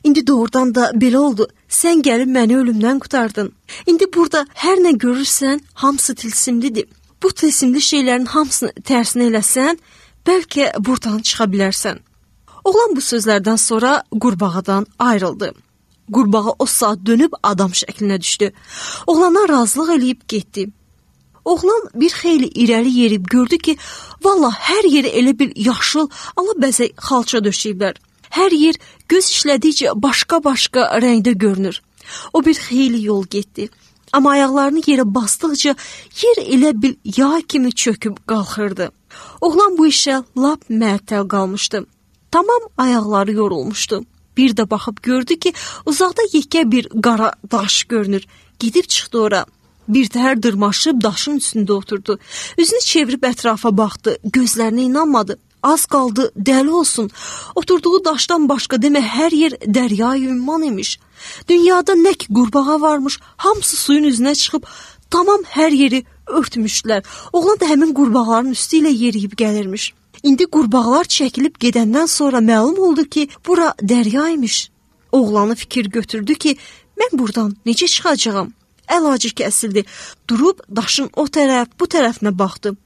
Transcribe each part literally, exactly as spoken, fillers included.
İndi doğrudan da belə oldu. Sən gəlib məni ölümdən qurtardın. İndi burada hər nə görürsən, hamısı tilsimlidir. Bu tilsimli şeylərin hamısını tərsinə eləsən, bəlkə buradan çıxa bilərsən. Oğlan bu sözlərdən sonra qurbağadan ayrıldı. Qurbağa o saat dönüb adam şəklinə düşdü. Oğlana razılıq eləyib getdi. Oğlan bir xeyli irəli yerib gördü ki, valla hər yeri elə bir yaşıl, alabəzək xalça döşəyiblər. Hər yer göz işlədikcə başqa-başqa rəngdə görünür. O bir xeyli yol getdi. Amma ayaqlarını yerə basdıqca yer elə bir yağ kimi çöküb qalxırdı. Oğlan bu işə lap məəttəl qalmışdı. Tamam ayaqları yorulmuşdu. Bir də baxıb gördü ki, uzaqda yekə bir qara daş görünür. Gidib çıxdı ora. Bir təhər dırmaşıb daşın üstündə oturdu. Üzünü çevirib ətrafa baxdı. Gözlərinə inanmadı. Az qaldı dəli olsun. Oturduğu daşdan başqa demə hər yer dərya-i ümman imiş. Dünyada nə ki qurbağa varmış, hamısı suyun üzünə çıxıb tamam hər yeri örtmüşdülər. Oğlan da həmin qurbağaların üstü ilə yeriyib gəlirmiş. İndi qurbağalar çəkilib gedəndən sonra məlum oldu ki, bura dərya imiş. Oğlanı fikir götürdü ki, mən buradan necə çıxacağam? Əlacı kəsildi. Durub daşın o tərəf, bu tərəfinə baxdı.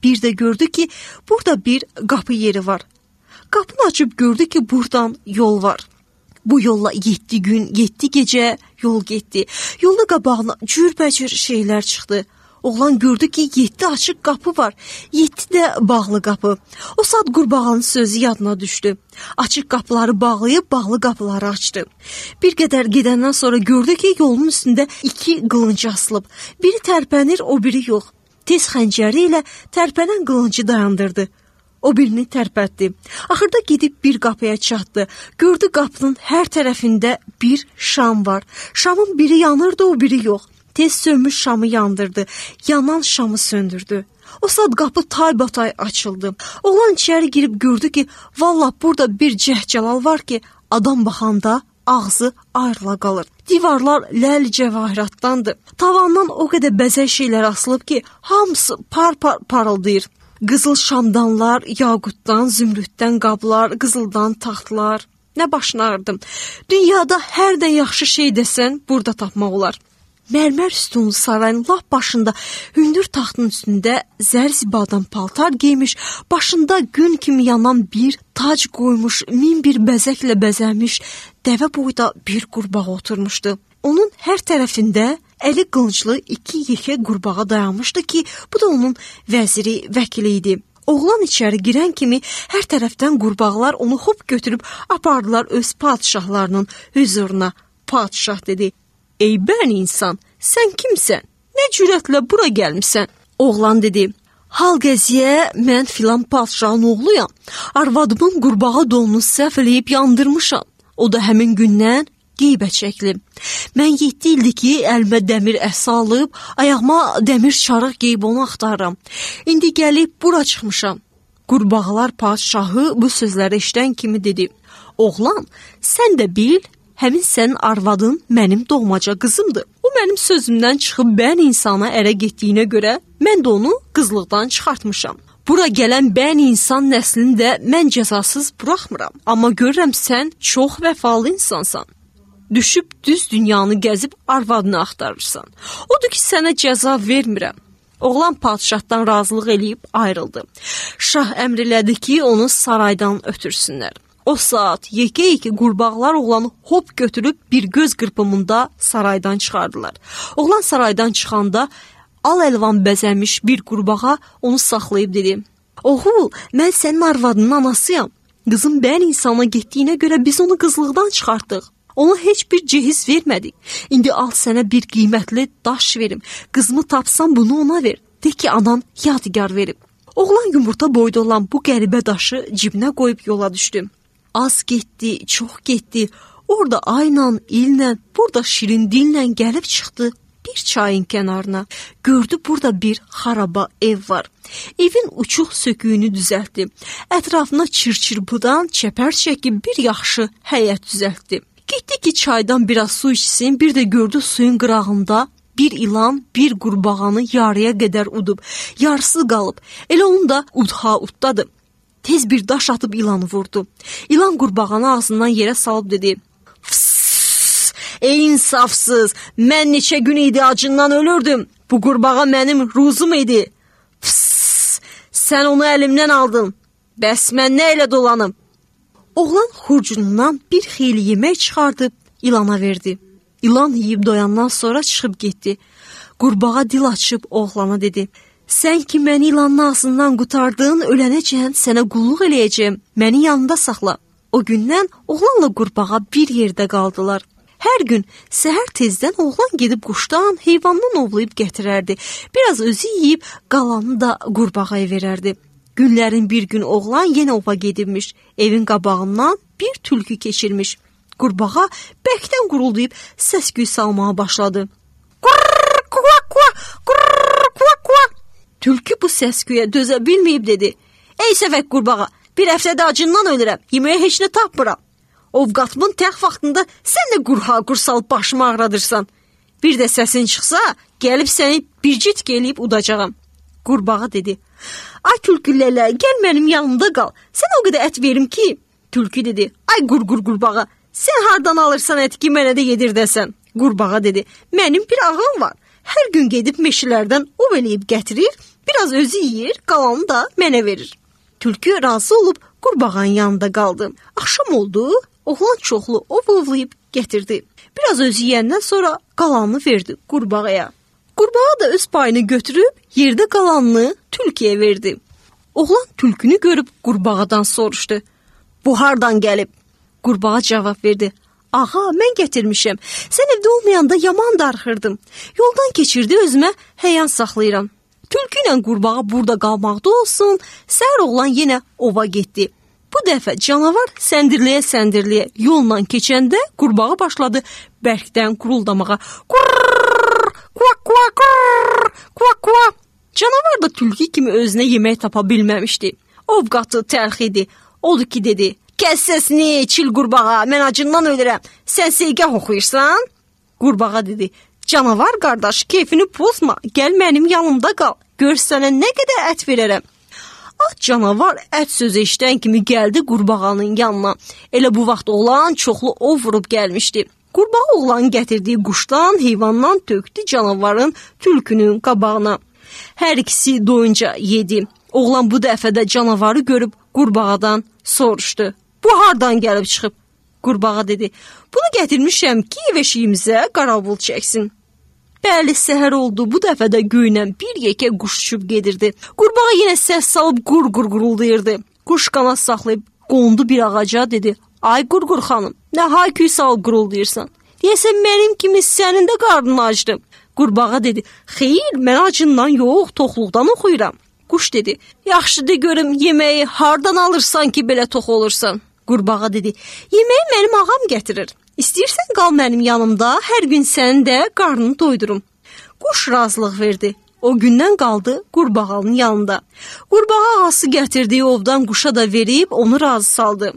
Bir də gördü ki, burada bir qapı yeri var. Qapını açıb gördü ki, buradan yol var. Bu yolla yeddi gün, yeddi gecə yol getdi. Yolda qabağına cürbəcür şeylər çıxdı. Oğlan gördü ki, yeddi açıq qapı var, yeddi də bağlı qapı. O saat qurbağanın sözü yadına düşdü. Açıq qapıları bağlayıb, bağlı qapıları açdı. Bir qədər gedəndən sonra gördü ki, yolun üstündə iki qılınc asılıb. Biri tərpənir, o biri yox. Tez xəncəri ilə tərpənən qılıncı dayandırdı. O birini tərpətdi. Axırda gedib bir qapıya çatdı. Gördü qapının hər tərəfində bir şam var. Şamın biri yanırdı, o biri yox. Tez sönmüş şamı yandırdı. Yanan şamı söndürdü. O saat qapı taybatay açıldı. Oğlan içəri girib gördü ki, vallah burada bir cəhcəlal var ki, adam baxanda ağzı ayrıla qalır. Divarlar ləl cəvahiratdandır. Tavandan o qədər bəzək şeylər asılıb ki, hamısı par-par parıldayır. Qızıl şamdanlar, yaqutdan, zümrüddən qablar, qızıldan taxtlar. Nə başına ağrıdım. Dünyada hər də yaxşı şey desən, burada tapmaq olar. Mərmər üstünlü sarayın lap başında hündür taxtın üstündə zərzibadan paltar geymiş, başında gün kimi yanan bir tac qoymuş, min bir bəzəklə bəzənmiş dəvə boyda bir qurbağa oturmuşdu. Onun hər tərəfində əli qılınclı iki yekə qurbağa dayanmışdı ki, bu da onun vəziri, vəkili idi. Oğlan içəri girən kimi hər tərəfdən qurbağalar onu hop götürüb apardılar öz padişahlarının hüzuruna. Padişah dedi: "Ey bən insan, sən kimsən? Nə cürətlə bura gəlmisən?" Oğlan dedi: "Hal qəziyə, mən filan padişahın oğluyam. Arvadımın qurbağa donunu səhv eləyib yandırmışam. O da həmin gündən qeybə çəkilib. Mən yeddi ildir ki, əlimə dəmir əsa alıb, ayağıma dəmir çarıq geyib onu axtarıram. İndi gəlib bura çıxmışam." Qurbağalar padişahı bu sözləri eşidən kimi dedi: "Oğlan, sən də bil, həmin sənin arvadın mənim doğmaca qızımdır. O mənim sözümdən çıxıb bən insana ərə getdiyinə görə mən də onu qızlıqdan çıxartmışam. Bura gələn bən insan nəslini də mən cəzasız buraxmıram. Amma görürəm sən çox vəfalı insansan. Düşüb düz dünyanı gəzib arvadını axtarırsan. Odur ki, sənə cəza vermirəm." Oğlan padişahdan razılıq eləyib ayrıldı. Şah əmr elədi ki, onu saraydan ötürsünlər. O saat yekə-yekə qurbağalar oğlanı hop götürüb bir göz qırpımında saraydan çıxardılar. Oğlan saraydan çıxanda al əlvan bəzənmiş bir qurbağa onu saxlayıb dedi: "Oğul, mən sənin arvadının anasıyam. Qızım bən insana getdiyinə görə biz onu qızlıqdan çıxartdıq. Ona heç bir cehiz vermədik. İndi al sənə bir qiymətli daş verim. Qızımı tapsan bunu ona ver. De ki, anan yadigar verib." Oğlan yumurta boyda olan bu qəribə daşı cibinə qoyub yola düşdü. Az getdi, çox getdi. Orada ayla, illə, burada şirin dillə gəlib çıxdı bir çayın kənarına. Gördü burada bir xaraba ev var. Evin uçuq söküyünü düzəltdi. Ətrafına çır-çırpıdan çəpər çəkib bir yaxşı həyət düzəltdi. Getdi ki, çaydan biraz su içsin, bir də gördü suyun qırağında bir ilan bir qurbağanı yarıya qədər udub. Yarısı qalıb. Elə onun da udha uddadı. Tez bir daş atıb ilanı vurdu. İlan qurbağanı ağzından yerə salıb dedi: Ey insafsız, mən neçə gün idi acından ölürdüm. Bu qurbağa mənim ruzum idi. Pıs, sən onu əlimdən aldın. Bəs mən nə ilə dolanım? Oğlan xurcunundan bir xeyli yemək çıxardıb ilana verdi. İlan yeyib doyandan sonra çıxıb getdi. Qurbağa dil açıb oğlana dedi. Sən ki məni ilanın ağzından qutardın, ölənəcən sənə qulluq eləyəcəm. Məni yanında saxla. O gündən oğlanla qurbağa bir yerdə qaldılar. Hər gün səhər tezdən oğlan gedib quşdan, heyvandan ovlayıb gətirərdi. Biraz özü yeyib qalanını da qurbağaya verərdi. Günlərin bir gün oğlan yenə ova gedibmiş. Evin qabağından bir tülkü keçirmiş. Qurbağa bərkdən quruldayıb səs-küy salmağa başladı. Qurr, kua, kua, qurr, kua, kua. Tülkü bu səs-küyə dözə bilməyib dedi. Ey səfək qurbağa, bir həftədə acından ölürəm, yeməyə heç nə tapmıram. Ovqatımın tək vaxtında sən də qurha qursal başımı ağradırsan. Bir də səsin çıxsa, gəlib səni bircik eləyib udacağam. Qurbağa dedi. Ay tülkülələ, gəl mənim yanımda qal. Sən o qədər ət verim ki. Tülkü dedi. Ay qurqur qurbağa, sən hardan alırsan ət ki, mənə də yedir desən. Qurbağa dedi. Mənim bir ağam var. Hər gün gedib meşələrdən ov eləyib gətirir, biraz özü yeyir, qalanı da mənə verir. Tülkü razı olub qurbağanın yanında qaldı. Axşam oldu, oğlan çoxlu ov ovlayıb gətirdi. Biraz özü yeyəndən sonra qalanını verdi qurbağaya. Qurbağa da öz payını götürüb yerdə qalanını tülküyə verdi. Oğlan tülkünü görüb qurbağadan soruşdu. Bu hardan gəlib? Qurbağa cavab verdi. Ağa, mən gətirmişəm. Sən evdə olmayanda yaman darıxırdım. Yoldan keçirdi, özümə həyan saxlayıram. Tülkü ilə qurbağa burada qalmaqda olsun, səhər oğlan yenə ova getdi. Bu dəfə canavar səndirləyə-səndirləyə yolla keçəndə qurbağa başladı bərkdən quruldamağa. Qurr, kua, kua, qurr, kua, kua. Canavar da tülkü kimi özünə yemək tapa bilməmişdi. Ovqatı təlx idi. Odur ki dedi. Kəs səsini, çil qurbağa, mən acından ölürəm. Sən seygah oxuyursan? Qurbağa dedi. Canavar qardaş, keyfini pozma, gəl mənim yanımda qal. Gör sənə nə qədər ət verərəm. At canavar ət sözü eşidən kimi gəldi qurbağanın yanına. Elə bu vaxt oğlan çoxlu ov vurub gəlmişdi. Qurbağa oğlanın gətirdiyi quşdan, heyvandan tökdü canavarın tülkünün qabağına. Hər ikisi doyunca yedi. Oğlan bu dəfə də canavarı görüb qurbağadan soruşdu. Bu hardan gəlib çıxıb? Qurbağa dedi. Bunu gətirmişəm ki, ev eşiyimizə qaravul çəksin. Bəli, səhər oldu. Bu dəfə də göylə bir yekə quş uçub gedirdi. Qurbağa yenə səs salıb qur-qur quruldayırdı. Quş qanad saxlayıb qondu bir ağaca dedi. Ay qurqur xanım, nə hay-küy salıb quruldayırsan? Deyəsən mənim kimi sənin də qarnın acdı. Qurbağa dedi. Xeyr, mən acından yox, toxluqdan oxuyuram. Quş dedi. Yaxşı de görüm yeməyi hardan alırsan ki belə tox olursan? Qurbağa dedi. Yeməyi mənim ağam gətirir. İstəyirsən qal mənim yanımda, hər gün sənin də qarnını doydurum. Quş razılıq verdi. O gündən qaldı qurbağanın yanında. Qurbağa ağası gətirdiyi ovdan quşa da verib onu razı saldı.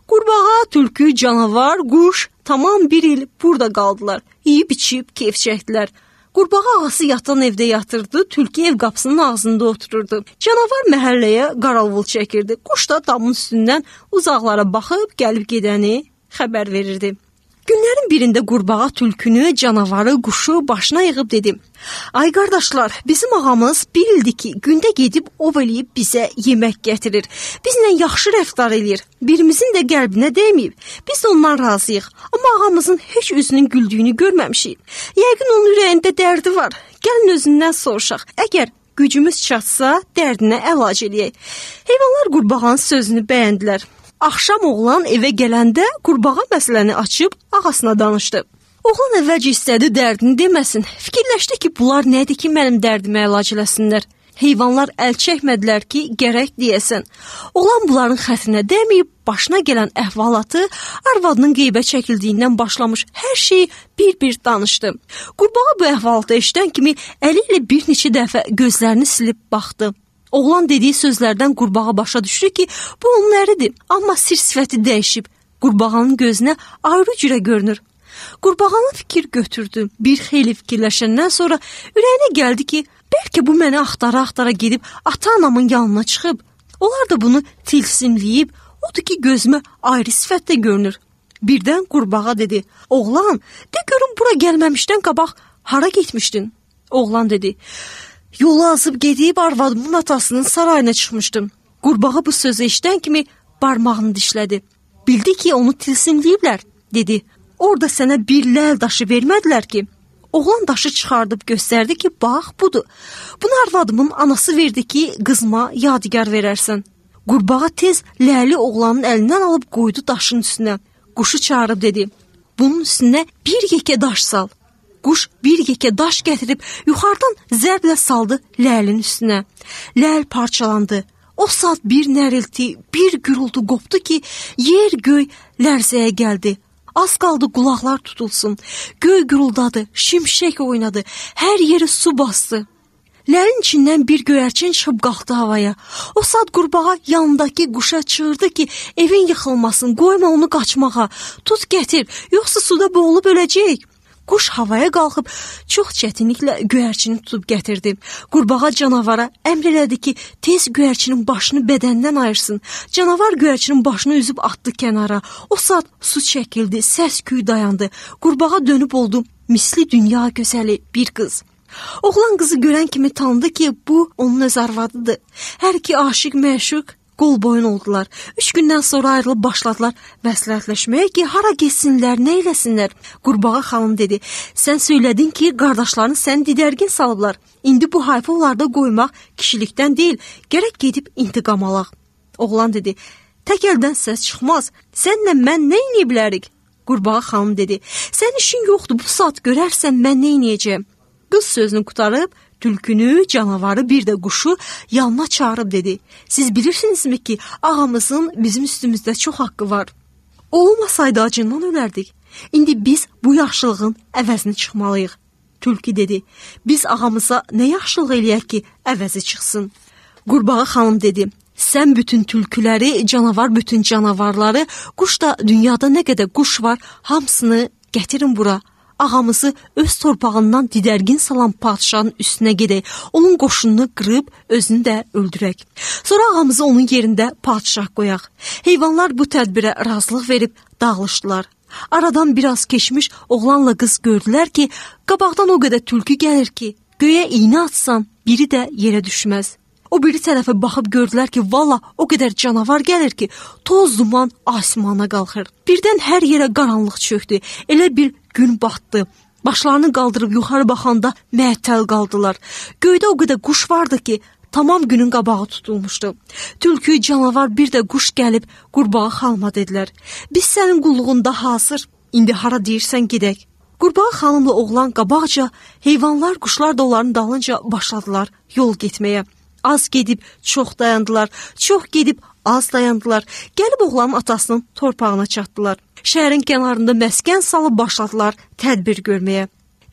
Qurbağa, tülkü, canavar, quş tamam bir il burada qaldılar. Yeyib içib keyf çəkdilər. Qurbağa ağası yatan evdə yatırdı, tülkü ev qapısının ağzında otururdu. Canavar məhəlləyə qaravul çəkirdi. Quş da damın üstündən uzaqlara baxıb gəlib gedəni xəbər verirdi. Günlərin birində qurbağa tülkünü, canavarı, quşu başına yığıb dedi. Ay qardaşlar, bizim ağamız bir ildir ki, gündə gedib ov eləyib bizə yemək gətirir. Bizlə yaxşı rəftar eləyir. Birimizin də qəlbinə dəyməyib. Biz də ondan razıyıq. Amma ağamızın heç üzünün güldüyünü görməmişik. Yəqin onun ürəyində dərdi var. Gəlin özündən soruşaq. Əgər gücümüz çatsa, dərdinə əlac eləyək. Heyvanlar qurbağanın sözünü bəyəndilər. Axşam oğlan evə gələndə qurbağa məsələni açıb ağasına danışdı. Oğlan əvvəlcə istədi dərdini deməsin. Fikirləşdi ki, bunlar nədir ki, mənim dərdimə əlac eləsinlər. Heyvanlar əl çəkmədilər ki, gərək deyəsən. Oğlan bunların xətrinə dəyməyib, başına gələn əhvalatı arvadının qeybə çəkildiyindən başlamış hər şeyi bir-bir danışdı. Qurbağa bu əhvalatı eşidən kimi əli ilə bir neçə dəfə gözlərini silib baxdı. Oğlan dediyi sözlərdən qurbağa başa düşdü ki, bu onun əridir, amma sir sifəti dəyişib. Qurbağanın gözünə ayrı cürə görünür. Qurbağanın fikir götürdü. Bir xeyli fikirləşəndən sonra ürəyinə gəldi ki, bəlkə bu məni axtara-axtara gedib ata-anamın yanına çıxıb. Onlar da bunu tilsimləyib, odur ki, gözümə ayrı sifətdə görünür. Birdən qurbağa dedi: "Oğlan, de görüm bura gəlməmişdən qabaq hara getmişdin?" Oğlan dedi: "Yolu azıb gedib arvadımın atasının sarayına çıxmışdım." Qurbağa bu sözü eşidən kimi barmağını dişlədi. Bildi ki, onu tilsimləyiblər, dedi: "Orada sənə bir ləl daşı vermədilər ki?" Oğlan daşı çıxardıb göstərdi ki, bax budur. Bunu arvadımın anası verdi ki, qızma yadigar verərsən. Qurbağa tez ləli oğlanın əlindən alıb qoydu daşın üstünə. Quşu çağırıb dedi: "Bunun üstünə bir yekə daş sal." Quş bir yekə daş gətirib yuxarıdan zərblə saldı ləlin üstünə. Ləl parçalandı. O saat bir nərilti, bir gürültü qopdu ki, yer göy lərzəyə gəldi. Az qaldı qulaqlar tutulsun. Göy gürüldadı, şimşək oynadı, hər yeri su bastı. Ləlin içindən bir göyərçin çıxıb qalxdı havaya. O saat qurbağa yanındakı quşa çığırdı ki, evin yıxılmasın, qoyma onu qaçmağa. Tut gətir, yoxsa suda boğulub öləcək. Quş havaya qalxıb çox çətinliklə göyərçini tutub gətirdi. Qurbağa canavara əmr elədi ki, tez göyərçinin başını bədəndən ayırsın. Canavar göyərçinin başını üzüb atdı kənara. O saat su çəkildi, səs-küy dayandı. Qurbağa dönüb oldu misli dünya gözəli bir qız. Oğlan qızı görən kimi tanıdı ki, bu onun öz arvadıdır. Hər iki aşiq məşuq qol boyun oldular. Üç gündən sonra ayrılıb başladılar məsləhətləşməyə ki, hara getsinlər, nə eləsinlər. Qurbağa xanım dedi: "Sən söylədin ki, qardaşların səni didərgin salıblar. İndi bu hayfı onlarda qoymaq kişilikdən deyil, gərək gedib intiqam alaq." Oğlan dedi: "Tək əldən səs çıxmaz. Sənlə mən nə edə bilərik?" Qurbağa xanım dedi: "Sən işin yoxdur, bu saat görərsən mən nə edəcəm." Qız sözünü qutarıb tülkünü, canavarı, bir də quşu yanına çağırıb dedi: "Siz bilirsinizmi ki, ağamızın bizim üstümüzdə çox haqqı var. O olmasaydı acından ölərdik. İndi biz bu yaxşılığın əvəzini çıxmalıyıq." Tülkü dedi: "Biz ağamıza nə yaxşılıq eləyək ki, əvəzi çıxsın?" Qurbağa xanım dedi: "Sən bütün tülküləri, canavar bütün canavarları, quş da dünyada nə qədər quş var, hamısını gətirin bura. Ağamızı öz torpağından didərgin salan padşahın üstünə gedək, onun qoşununu qırıb özünü də öldürək. Sonra ağamızı onun yerində padşah qoyaq." Heyvanlar bu tədbirə razılıq verib dağılışdılar. Aradan biraz keçmiş oğlanla qız gördülər ki, qabaqdan o qədər tülkü gəlir ki, göyə iynə atsan biri də yerə düşməz. O biri tərəfə baxıb gördülər ki, valla o qədər canavar gəlir ki, toz duman asmana qalxır. Birdən hər yerə qaranlıq çöktü. Elə bir gün batdı. Başlarını qaldırıb yuxarı baxanda məəttəl qaldılar. Göydə o qədər quş vardı ki, tamam günün qabağı tutulmuşdu. Tülkü, canavar, bir də quş gəlib qurbağa xanıma dedilər: "Biz sənin qulluğunda hazır, indi hara deyirsən gedək." Qurbağa xanımla oğlan qabaqca, heyvanlar, quşlar da onların dalınca başladılar yol getməyə. Az gedib çox dayandılar, çox gedib az dayandılar. Gəlib oğlanın atasının torpağına çatdılar. Şəhərin kənarında məskən salıb başladılar tədbir görməyə.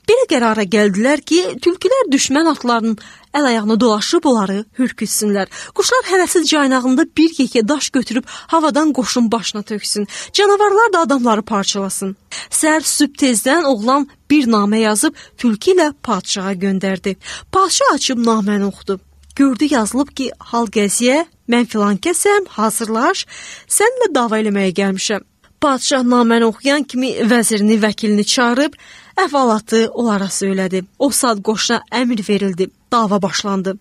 Belə qərara gəldilər ki, tülkülər düşmən atlarının əl-ayağına dolaşıb onları hürkütsünlər. Quşlar hərəsiz caynağında bir yekə daş götürüb havadan qoşun başına töksün. Canavarlar da adamları parçalasın. Səhər sübh tezdən oğlan bir namə yazıb tülkü ilə padşaha göndərdi. Padşah açıb naməni oxudu. Gördü yazılıb ki, hal gəziyə, mən filan kəsəm, hazırlaş, səninlə dava eləməyə gəlmişəm. Padşah naməni oxuyan kimi vəzirini, vəkilini çağırıb, əhvalatı onlara söylədi. O saat qoşuna əmr verildi, dava başlandı.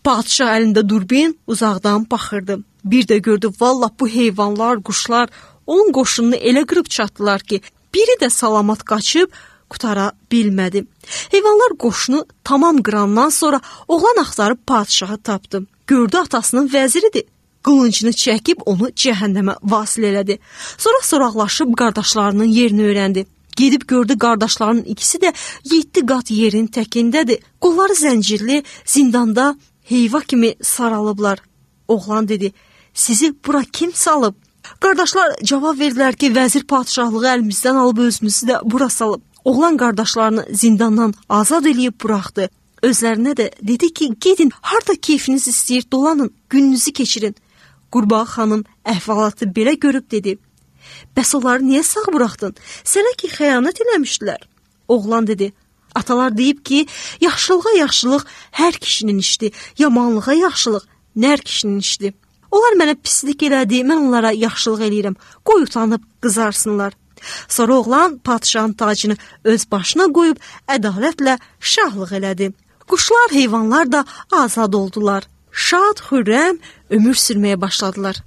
Padşah əlində durbin uzaqdan baxırdı. Bir də gördü, vallah bu heyvanlar, quşlar onun qoşununu elə qırıb çatdılar ki, biri də salamat qaçıb qutara bilmədi. Heyvanlar qoşunu tamam qırandan sonra oğlan axtarıb padşahı tapdı. Gördü atasının vəziridir. Qılıncını çəkib onu cəhənnəmə vasil elədi. Sonra soraqlaşıb qardaşlarının yerini öyrəndi. Gedib gördü qardaşlarının ikisi də yeddi qat yerin təkindədir. Qolları zəncirli, zindanda heyva kimi saralıblar. Oğlan dedi: "Sizi bura kim salıb?" Qardaşlar cavab verdilər ki, vəzir padşahlığı əlimizdən alıb özümüzü də bura salıb. Oğlan qardaşlarını zindandan azad eləyib buraxdı. Özlərinə də dedi ki, gedin, harda keyfiniz istəyir, dolanın, gününüzü keçirin. Qurbağa xanım əhvalatı belə görüb dedi: "Bəs onları niyə sağ buraxdın? Sənə ki, xəyanət eləmişdilər." Oğlan dedi: "Atalar deyib ki, yaxşılığa yaxşılıq hər kişinin işidir, yamanlığa yaxşılıq nər kişinin işidir." Onlar mənə pislik elədi, mən onlara yaxşılıq eləyirəm. Qoy utanıb qızarsınlar. Sonra oğlan padşahın tacını öz başına qoyub ədalətlə şahlıq elədi. Quşlar, heyvanlar da azad oldular. Şad, xürrəm ömür sürməyə başladılar.